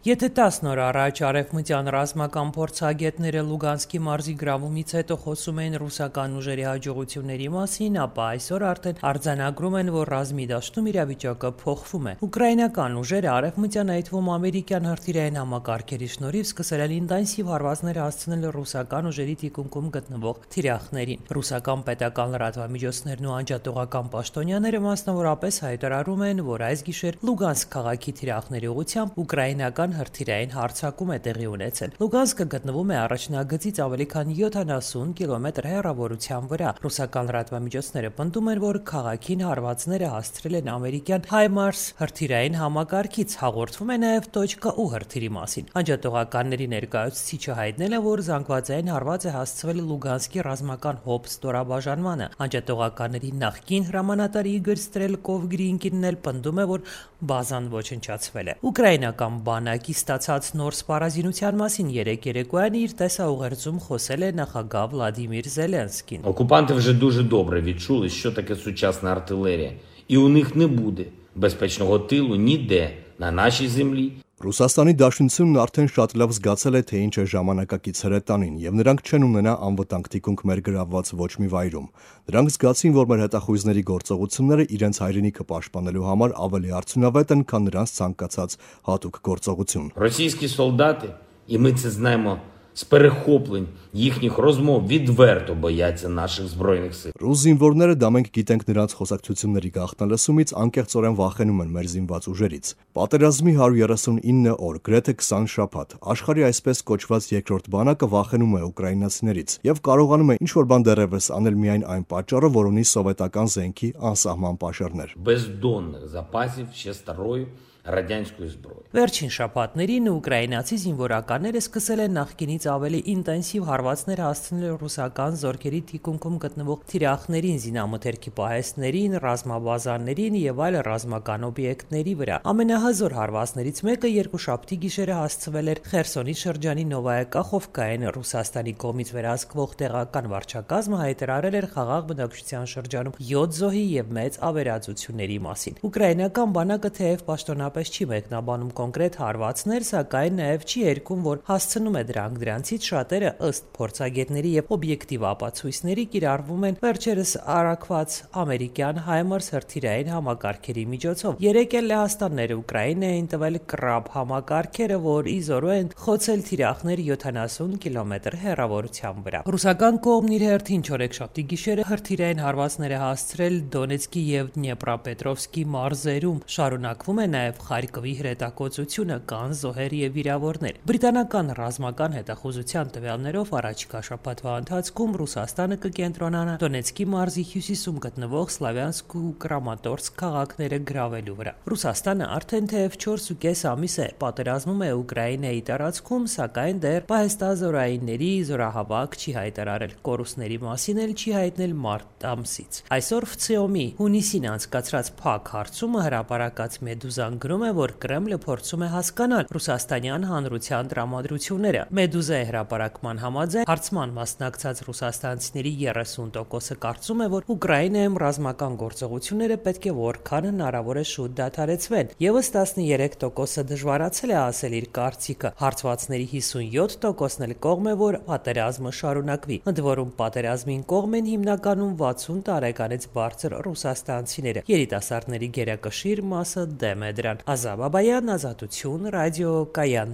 Եթե 10 օր առաջ արևմտյան ռազմական փորձագետները Լուգանսկի մարզի գրավումից հետո խոսում էին ռուսական ուժերի հաջողությունների մասին, ապա այսօր արդեն արձանագրում են, որ ռազմի դաշտում իրավիճակը փոխվում է։ Ուկրաինական ուժերը արևմտյան, այդ թվում ամերիկյան հրթիռային համակարգերի շնորհիվ սկսել են ինտենսիվ հարվածներ հասցնել ռուսական ուժերի թիկունքում գտնվող թիրախներին։ Ռուսական պետական լրատվամիջոցներն ու անջատողական պաշտոնյաները մասնավորապես հայտարարում են, որ այս գիշեր Լուգանսկ քաղաքի թիրախների ուղղությամբ ուկրաինական հրթիռային հարձակում է տեղի ունեցել։ Լուգանսկը գտնվում է առաջնագծից ավելի քան 70 կիլոմետր հեռավորության վրա։ Ռուսական լրատվամիջոցները պնդում են, որ քաղաքին հարվածները հասցրել են ամերիկյան HIMARS հրթիռային համակարգից։ Հաղորդվում է նաև .U հրթիռի մասին։ Անջատողականների ներկայացուցիչը հայտնել է, որ զանգվածային հարված է հասցվել Լուգանսկի ռազմական հոբ ստորաբաժանմանը։ Անջատողականների նախկին հրամանատար Իգոր Ստրելկով Գրինկինն էլ պնդում է, որ բազան ոչնչացվել է։ Ուկրաինական բանակի ստացած նոր սպառազինության մասին երեկոյան իր տեսաուղերձում խոսել է նախագահ Վլադիմիր Зеленський. Окупанти вже дуже добре відчули, що таке сучасна артилерія, і у них не буде безпечного тилу ніде на нашій землі. Ռուսաստանի Դաշնությունն արդեն շատ լավ զգացել է, թե ինչ է ժամանակակից հրետանին, եւ նրանք չեն ունենա անվտանգ թիկունք մեր գրավված ոչ մի վայրում։ Նրանք զգացին, որ մեր հետախույզների գործողությունները իրենց հայրենիքը պաշտպանելու համար ավելի արդյունավետ են, քան նրանց ցանկացած հատուկ գործողություն։ Російські солдати, і ми це знаємо з перехоплень їхніх розмов, відверто бояться наших збройних сил. Ռուս զինվորները դա մենք գիտենք նրանց խոսակցությունների գաղտնալսումից անկեղծորեն վախենում են մեր զինված ուժերից։ Պատերազմի 139 օր, գրեթե 20 շաբաթ, աշխարհի այսպես կոչված երկրորդ բանակը վախենում է ուկրաինացիներից եւ կարողանում է ինչ-որ բան դեռևս անել միայն այն պատճառով, որ ունի սովետական զենքի անսահման պաշարներ։ Бездонних запасів ще старої радянської зброї. Վերջին շաբաթներին ուկրաինացի զինվորականները սկսել են նախկինից ավելի ինտենսիվ հարվածներ հասցնել ռուսական զորքերի թիկունքում գտնվող թիրախներին, զինամթերքի պահեստներին, ռազմաբազաներին եւ այլ ռազմական օբյեկտների վրա։ Ամենահզոր հարվածներից մեկը երկուշաբթի գիշերը հասցվել էր Խերսոնի շրջանի Նովայա Կախովկային։ Ռուսաստանի կողմից վերահսկվող տեղական վարչակազմը հայտարարել էր խաղաղ բնակչության շրջանում 7 զոհի եւ մեծ ավերածությունների մասին։ Ուկրաինական բանակը թեև պաշտոնապես չի մեկնաբանում կոնկրետ հարվածներ, սակայն նաև չի երգում, որ հասցնում է դրանք։ Դրանցից շատերը ըստ փորձագետների եւ օբյեկտիվ ապացույցների կիրառվում են վերջերս արագված ամերիկյան HIMARS հրթիռային համակարգերի միջոցով։ Երեք էլ Լեհաստանները Ուկրաինային տվել Կրաբ համակարգերը, որ ի զորու են խոցել թիրախներ 70 կիլոմետր հեռավորության վրա։ Ռուսական կողմն իր հերթին չորեքշաբթի գիշերը հրթիռային հարվածներ է հասցրել Դոնեցկի եւ Դնեպրապետրովսկի մարզերում։ Շարունակվում է նաև Խարկովի հրետակոծությունը, կան զոհեր եւ վիրավորներ։ Բրիտանական ռազմական հետախուզության տվյալներով առաջիկա շաբաթվա ընթացքում Ռուսաստանը կկենտրոնանա Դոնեցկի մարզի հյուսիսում գտնվող Սլավյանսկ ու Կրամատորսկ քաղաքները գրավելու վրա։ Ռուսաստանը արդեն թեև 4.5 ամիս է պատերազմում է Ուկրաինայի տարածքում, սակայն դեռ պահեստազորայինների զորահավաք չի հայտարարել։ Կորուստների մասին էլ չի հայտնել մարտ ամսից։ Այսօր ՖՑՕՄ-ի հունիսին անցկացրած փակ հարցումը հրապարակած Մեդուզան գրում է, որ Կրեմլը փորձում է հասկանալ ռուսաստանյան հանրության տրամադրությունները։ Մեդուզայի հրապարակման համաձայն հարցման մասնակցած ռուսաստանցիների 30%-ը կարծում է, որ Ուկրաինայում ռազմական գործողությունները պետք է որքան հնարավոր է շուտ դադարեցվեն։ Եվս 13%-ը դժվարացել է ասել իր կարծիքը։ Հարցվածների 57%-ն էլ կողմ է, որ պատերազմը շարունակվի։ Ընդ որում պատերազմին կողմ են հիմնականում 60 տարեկանից բարձր ռուսաստանցիները։ Երիտասարդների գերակշիռ մասը դեմ է դրան։ Ազա Բաբայան, Ազատություն, Ռադիո Կայան։